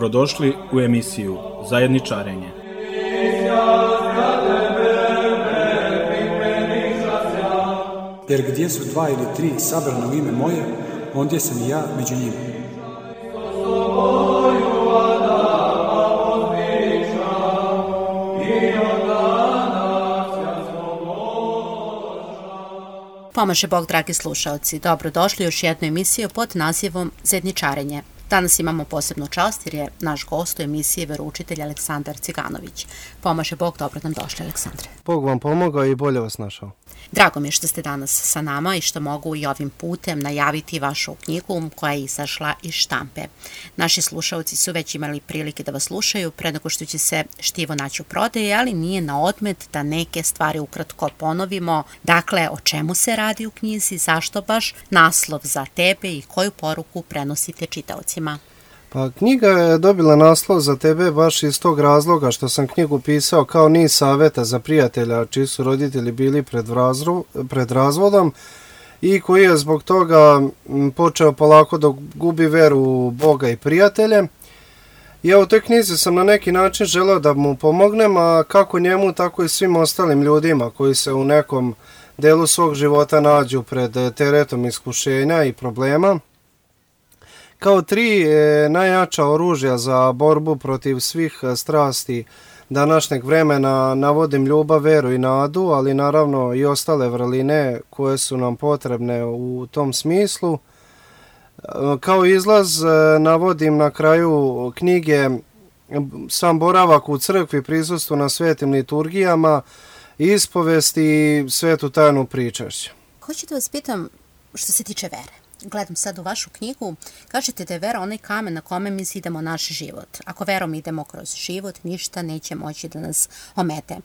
Dobrodošli u emisiju Zajedničarenje. Jer gdje su 2 ili 3 sabrana u ime moje, ondje sam i ja među njima. Pomaže Bog, dragi slušalci. Dobrodošli u još jednu emisiju pod nazivom Zajedničarenje. Danas imamo posebnu čast jer je naš gost u emisiji veroučitelj Aleksandar Ciganović. Pomaže Bog, dobro nam došli, Aleksandre. Bog vam pomogao i bolje vas našao. Drago mi je što ste danas sa nama i što mogu i ovim putem najaviti vašu knjigu koja je izašla iz štampe. Naši slušalci su već imali prilike da vas slušaju pre nego što će se štivo naći u prodaji, ali nije na odmet da neke stvari ukratko ponovimo. Dakle, o čemu se radi u knjizi, zašto baš naslov Za tebe i koju poruku prenosite čitaocima? Pa knjiga je dobila naslov Za tebe baš iz tog razloga što sam knjigu pisao kao niz savjeta za prijatelja čiji su roditelji bili pred razvodom i koji je zbog toga počeo polako da gubi veru u Boga i prijatelje. Ja u toj knjizi sam na neki način želeo da mu pomognem, a kako njemu tako i svim ostalim ljudima koji se u nekom delu svog života nađu pred teretom iskušenja i problema. Kao 3 najjača oružja za borbu protiv svih strasti današnjeg vremena navodim ljubav, veru i nadu, ali naravno i ostale vrline koje su nam potrebne u tom smislu. Kao izlaz navodim na kraju knjige sam boravak u crkvi, prisustvo na svetim liturgijama, ispovest i svetu tajnu pričašća. Hoću da vas pitam što se tiče vere. Gledam sad u vašu knjigu, kažete da je vera onaj kamen na kome mi zidamo naš život. Ako verom idemo kroz život, ništa neće moći da nas omete.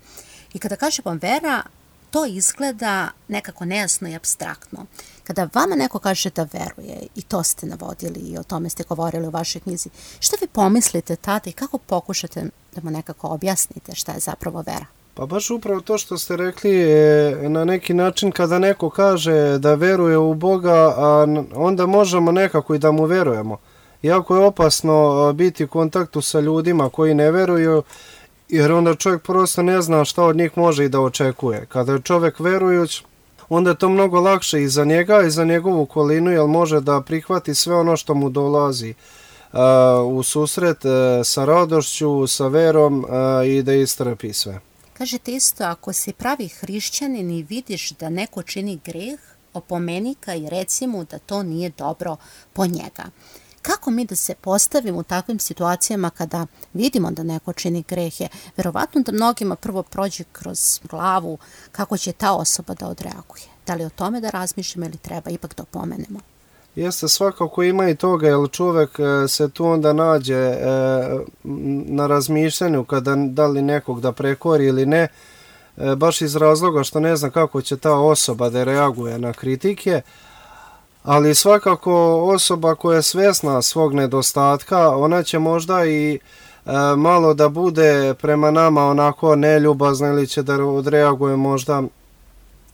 I kada kažemo vera, to izgleda nekako nejasno i apstraktno. Kada vama neko kaže da veruje, i to ste navodili i o tome ste govorili u vašoj knjizi, što vi pomislite tada i kako pokušate da mu nekako objasnite šta je zapravo vera? Pa baš upravo to što ste rekli, na neki način kada neko kaže da veruje u Boga, onda možemo nekako i da mu verujemo. Jako je opasno biti u kontaktu sa ljudima koji ne veruju, jer onda čovjek prosto ne zna šta od njih može i da očekuje. Kada je čovjek verujuć, onda je to mnogo lakše i za njega i za njegovu okolinu, jer može da prihvati sve ono što mu dolazi u susret sa radošću, sa verom i da istrpi sve. Kažete isto, ako si pravi hrišćanin i vidiš da neko čini greh, opomeni ga i reci mu da to nije dobro po njega. Kako mi da se postavimo u takvim situacijama kada vidimo da neko čini grehe? Verovatno da mnogima prvo prođe kroz glavu kako će ta osoba da odreaguje. Da li o tome da razmišljamo ili treba ipak da opomenemo? Jeste, svakako ima i toga, jer čovjek se tu onda nađe na razmišljanju kada da li nekog da prekori ili ne, baš iz razloga što ne zna kako će ta osoba da reaguje na kritike, ali svakako osoba koja je svjesna svog nedostatka, ona će možda i malo da bude prema nama onako neljubazna ili će da odreaguje možda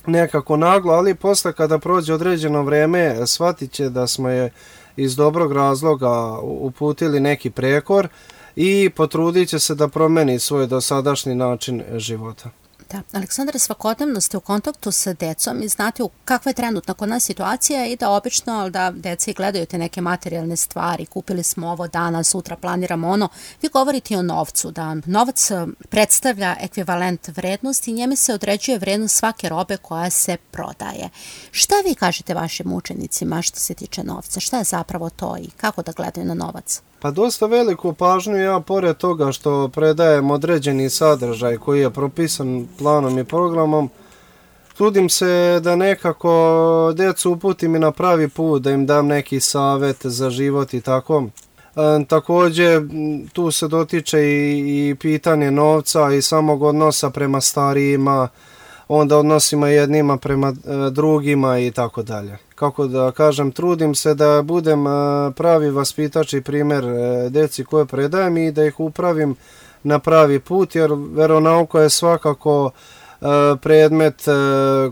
nekako naglo, ali posle kada prođe određeno vreme shvatit će da smo je iz dobrog razloga uputili neki prekor i potrudit će se da promeni svoj dosadašnji način života. Da, Aleksandre, svakodnevno ste u kontaktu sa decom i znate kakva je trenutna kod nas situacija i da obično da deca i gledaju te neke materijalne stvari, kupili smo ovo danas, sutra planiramo ono, vi govorite o novcu, da novac predstavlja ekvivalent vrednosti i njime se određuje vrednost svake robe koja se prodaje. Šta vi kažete vašim učenicima što se tiče novca? Šta je zapravo to i kako da gledaju na novac? Pa dosta veliku pažnju ja, pored toga što predajem određeni sadržaj koji je propisan planom i programom, trudim se da nekako decu uputim i na pravi put, da im dam neki savjet za život i tako. Također tu se dotiče i pitanje novca i samog odnosa prema starijima, onda odnosima jednima prema drugima i tako dalje. Kako da kažem, trudim se da budem pravi vaspitač i primjer deci koje predajem i da ih upravim na pravi put, jer veronauka je svakako predmet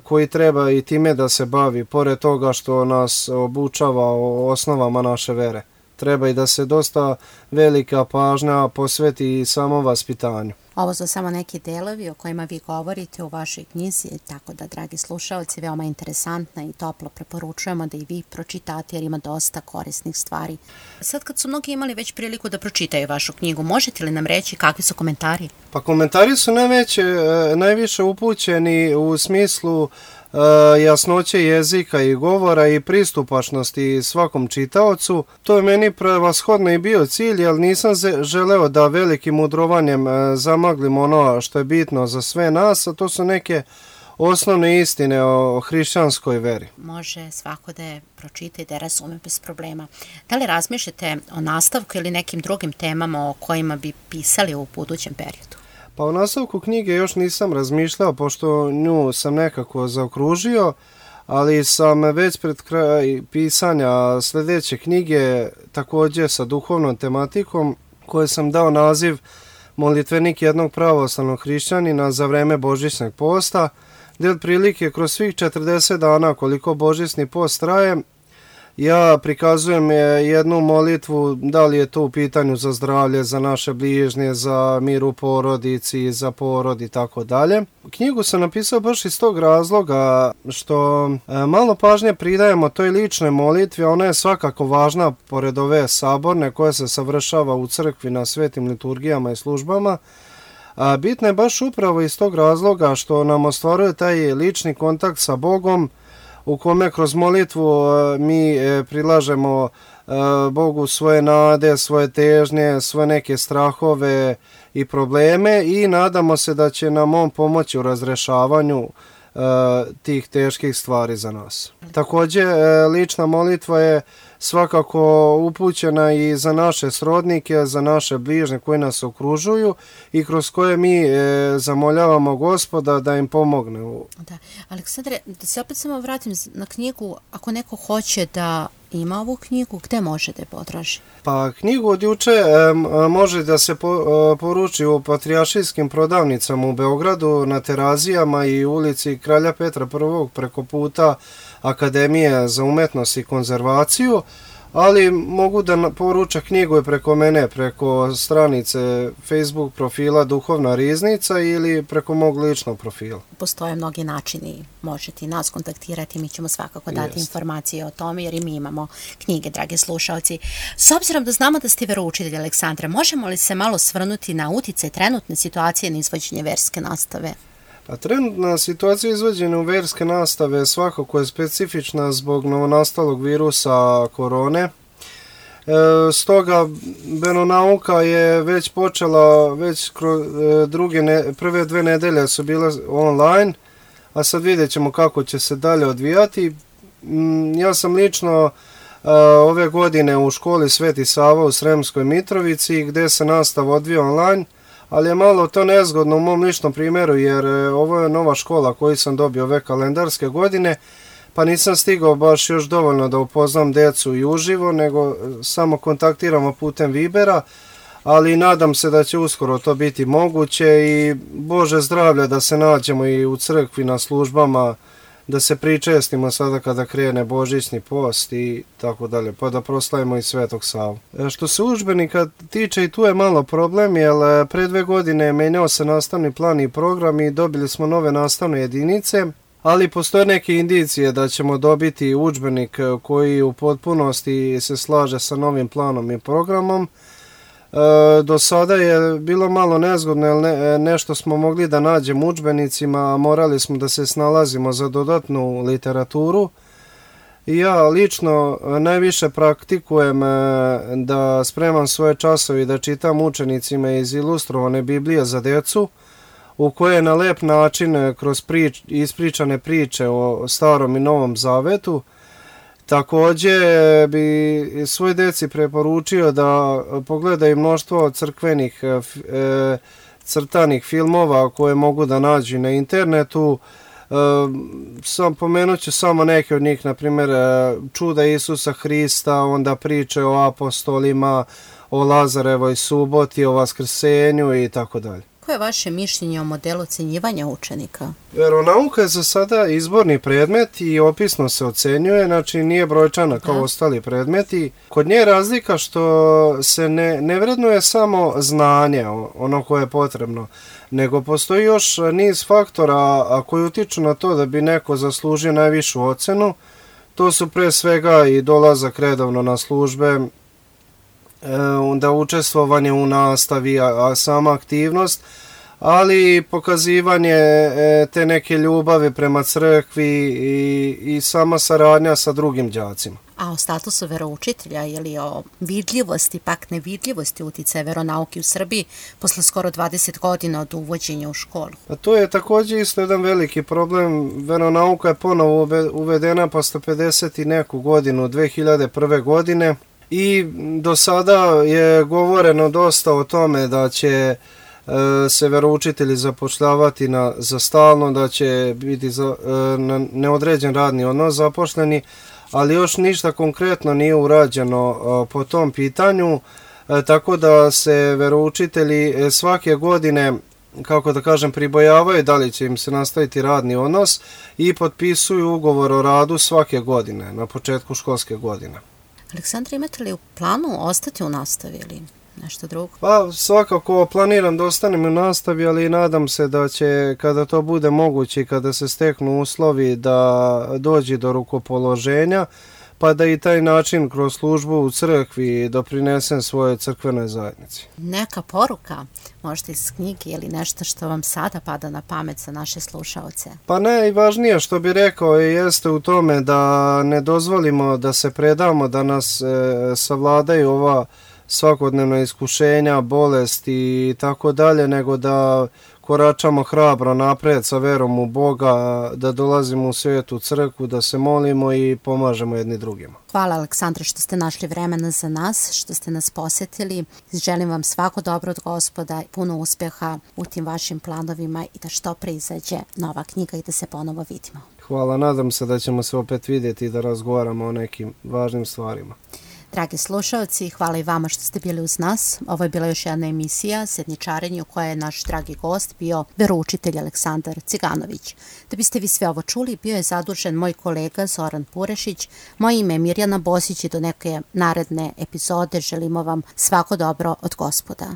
koji treba i time da se bavi, pored toga što nas obučava o osnovama naše vere. treba i da se dosta velika pažnja posveti samom vaspitanju. Ovo su samo neki delovi o kojima vi govorite u vašoj knjizi, tako da, dragi slušalci, veoma interesantna i toplo preporučujemo da i vi pročitate jer ima dosta korisnih stvari. Sad kad su mnogi imali već priliku da pročitaju vašu knjigu, možete li nam reći kakvi su komentari? Pa komentari su najviše upućeni u smislu jasnoće jezika i govora i pristupačnosti svakom čitaocu. To je meni prevashodno i bio cilj, jer nisam želeo da velikim mudrovanjem zamaglim ono što je bitno za sve nas, a to su neke osnovne istine o hrišćanskoj veri. Može svako da je pročita i da je razume bez problema. Da li razmišljate o nastavku ili nekim drugim temama o kojima bi pisali u budućem periodu? Pa u nastavku knjige još nisam razmišljao, pošto nju sam nekako zaokružio, ali sam već pred kraj pisanja sljedeće knjige, također sa duhovnom tematikom, koje sam dao naziv Molitvenik jednog pravoslavnog hrišćanina za vreme božićnog posta, gdje otprilike kroz svih 40 dana koliko božićni post traje, ja prikazujem jednu molitvu, da li je to u pitanju za zdravlje, za naše bližnje, za mir u porodici, za porod i tako dalje. Knjigu sam napisao baš iz tog razloga što malo pažnje pridajemo toj ličnoj molitvi, ona je svakako važna pored ove saborne koja se savršava u crkvi na svetim liturgijama i službama. Bitna je baš upravo iz tog razloga što nam ostvaruje taj lični kontakt sa Bogom, u kome kroz molitvu mi prilažemo Bogu svoje nade, svoje težnje, svoje neke strahove i probleme i nadamo se da će nam on pomoći u razrešavanju tih teških stvari za nas. Također, lična molitva je svakako upućena i za naše srodnike, za naše bližnje koji nas okružuju i kroz koje mi zamoljavamo Gospoda da im pomogne. Da. Aleksandre, da se opet samo vratim na knjigu, ako neko hoće da ima ovu knjigu, gde može da je potraži? Pa knjigu od juče može da se poruči u patrijaršijskim prodavnicama u Beogradu, na Terazijama i ulici Kralja Petra I preko puta Akademije za umetnost i konzervaciju, ali mogu da poruča knjigu i preko mene, preko stranice Facebook profila Duhovna riznica ili preko mog ličnog profila. Postoje mnogi načini, možete i nas kontaktirati, mi ćemo svakako dati informacije o tome jer i mi imamo knjige, dragi slušalci. S obzirom da znamo da ste veroučitelj, Aleksandre, možemo li se malo svrnuti na uticaj trenutne situacije na izvođenje verske nastave? A trenutna situacija izvođenja u verske nastave svakako je specifična zbog novonastalog virusa korone. Stoga veronauka je već počela, već prve 2 nedelje su bile online, a sad vidjet ćemo kako će se dalje odvijati. Ja sam lično ove godine u školi Sveti Sava u Sremskoj Mitrovici gdje se nastava odvija online, ali je malo to nezgodno u mom ličnom primjeru jer ovo je nova škola koju sam dobio ove kalendarske godine, pa nisam stigao baš još dovoljno da upoznam decu i uživo, nego samo kontaktiramo putem Vibera, ali nadam se da će uskoro to biti moguće i Bože zdravlja da se nađemo i u crkvi na službama, da se pričestimo sada kada krene božićni post i tako dalje, pa da proslavimo i Svetog Savu. Što se udžbenika tiče, i tu je malo problem, jer pre 2 godine menjao se nastavni plan i program i dobili smo nove nastavne jedinice, ali postoje neke indicije da ćemo dobiti udžbenik koji u potpunosti se slaže sa novim planom i programom. Do sada je bilo malo nezgodno jer nešto smo mogli da nađemo u udžbenicima, a morali smo da se snalazimo za dodatnu literaturu. I ja lično najviše praktikujem da spremam svoje časove i da čitam učenicima iz ilustrovane Biblije za decu, u koje na lep način kroz ispričane priče o Starom i Novom Zavetu. Također bi svoj deci preporučio da pogledaju mnoštvo crkvenih crtanih filmova koje mogu da nađu na internetu. Pomenut ću samo neke od njih, na primjer Čuda Isusa Hrista, onda priče o apostolima, o Lazarevoj suboti, o Vaskrsenju i tako dalje. kako je vaše mišljenje o modelu ocenjivanja učenika? Veronauka je za sada izborni predmet i opisno se ocenjuje, znači nije brojčana kao ostali predmeti. Kod nje je razlika što se ne vrednuje samo znanje, ono koje je potrebno, nego postoji još niz faktora koji utiču na to da bi neko zaslužio najvišu ocenu. To su pre svega i dolazak redovno na službe, onda učestvovanje u nastavi, a sama aktivnost, ali i pokazivanje te neke ljubavi prema crkvi i sama saradnja sa drugim đacima. A o statusu veroučitelja ili o vidljivosti, pak nevidljivosti uticaja veronauke u Srbiji posle skoro 20 godina od uvođenja u školu? A to je također isto jedan veliki problem. Veronauka je ponovo uvedena posle 50 i neku godinu, 2001. godine, i do sada je govoreno dosta o tome da će se veroučitelji zapošljavati za stalno, da će biti na neodređen radni odnos zaposleni, ali još ništa konkretno nije urađeno po tom pitanju, tako da se veroučitelji svake godine, kako da kažem, pribojavaju da li će im se nastaviti radni odnos i potpisuju ugovor o radu svake godine, na početku školske godine. Aleksandra, imate li u planu ostati u nastavi ili nešto drugo? Pa svakako planiram da ostanem u nastavi, ali nadam se da će, kada to bude moguće i kada se steknu uslovi, da dođe do rukopoloženja, pa da i taj način kroz službu u crkvi doprinesem svojoj crkvenoj zajednici. Neka poruka, možda iz knjige ili nešto što vam sada pada na pamet za naše slušaoce? Pa najvažnije što bi rekao jeste u tome da ne dozvolimo da se predamo, da nas savladaju ova svakodnevna iskušenja, bolesti i tako dalje, nego da koračamo hrabro napred sa verom u Boga, da dolazimo u svetu crkvu, da se molimo i pomažemo jedni drugima. Hvala, Aleksandre, što ste našli vremena za nas, što ste nas posjetili. Želim vam svako dobro od Gospoda, puno uspjeha u tim vašim planovima i da što pre izađe nova knjiga i da se ponovo vidimo. Hvala, nadam se da ćemo se opet vidjeti i da razgovaramo o nekim važnim stvarima. Dragi slušalci, hvala i vama što ste bili uz nas. Ovo je bila još jedna emisija Sedničarenje u kojoj je naš dragi gost bio veroučitelj Aleksandar Ciganović. Da biste vi sve ovo čuli, bio je zadužen moj kolega Zoran Purešić. Moje ime je Mirjana Bosić i do neke naredne epizode želimo vam svako dobro od Gospoda.